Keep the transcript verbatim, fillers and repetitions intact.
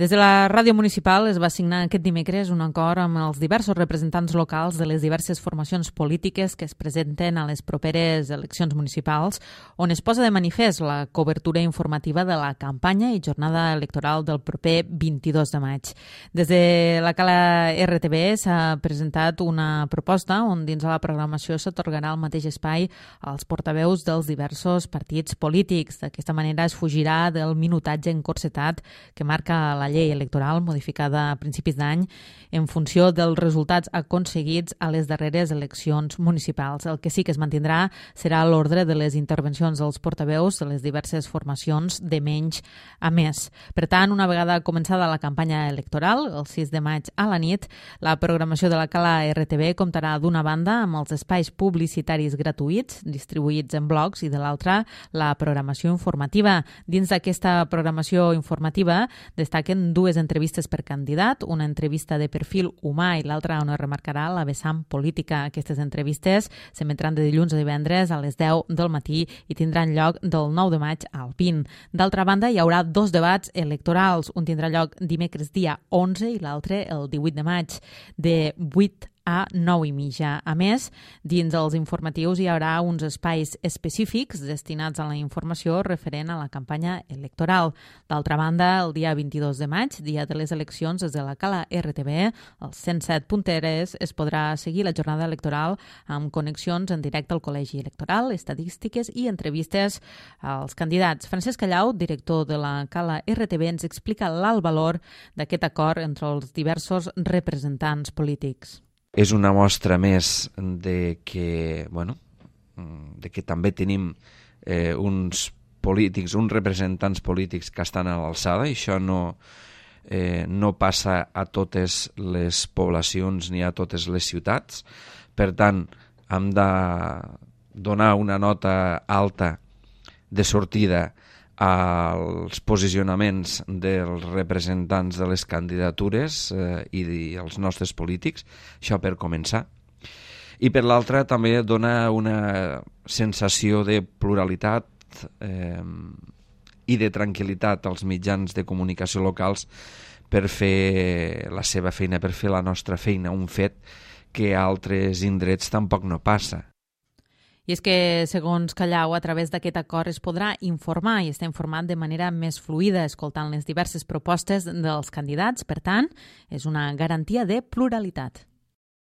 Des de la ràdio municipal es va signar aquest dimecres un acord amb els diversos representants locals de les diverses formacions polítiques que es presenten a les properes eleccions municipals, on es posa de manifest la cobertura informativa de la campanya i jornada electoral del proper vint-i-dos de maig. Des de la Cala R T B s'ha presentat una proposta on dins de la programació s'atorgarà el mateix espai als portaveus dels diversos partits polítics. D'aquesta manera es fugirà del minutatge encorsetat que marca la llei electoral modificada a principis d'any en funció dels resultats aconseguits a les darreres eleccions municipals. El que sí que es mantindrà serà l'ordre de les intervencions dels portaveus de les diverses formacions de menys a més. Per tant, una vegada començada la campanya electoral, el sis de maig a la nit, la programació de la Cala R T B comptarà d'una banda amb els espais publicitaris gratuïts distribuïts en blocs i de l'altra la programació informativa. Dins d'aquesta programació informativa destaquen dues entrevistes per candidat, una entrevista de perfil humà i l'altra on es remarcarà la vessant política. Aquestes entrevistes s'emetran de dilluns a divendres a les deu del matí i tindran lloc del nou de maig al vint. D'altra banda, hi haurà dos debats electorals. Un tindrà lloc dimecres dia onze i l'altre el divuit de maig, de vuit a nou i mitja. A més, dins dels informatius hi haurà uns espais específics destinats a la informació referent a la campanya electoral. D'altra banda, el dia vint-i-dos de maig, dia de les eleccions, des de la Cala R T B, els cent set punt tres, es podrà seguir la jornada electoral amb connexions en directe al Col·legi Electoral, estadístiques i entrevistes als candidats. Francesc Callau, director de la Cala R T B, ens explica l'alt valor d'aquest acord entre els diversos representants polítics. És una mostra més de que, bueno, de que també tenim eh, uns polítics, uns representants polítics que estan a l'alçada, i això no, eh, no passa a totes les poblacions ni a totes les ciutats. Per tant, hem de donar una nota alta de sortida als posicionaments dels representants de les candidatures eh, i els nostres polítics, això per començar. I per l'altra també dona una sensació de pluralitat eh, i de tranquil·litat als mitjans de comunicació locals per fer la seva feina, per fer la nostra feina, un fet que a altres indrets tampoc no passa. I és que, segons Callau, a través d'aquest acord es podrà informar i estar informat de manera més fluida, escoltant les diverses propostes dels candidats. Per tant, és una garantia de pluralitat.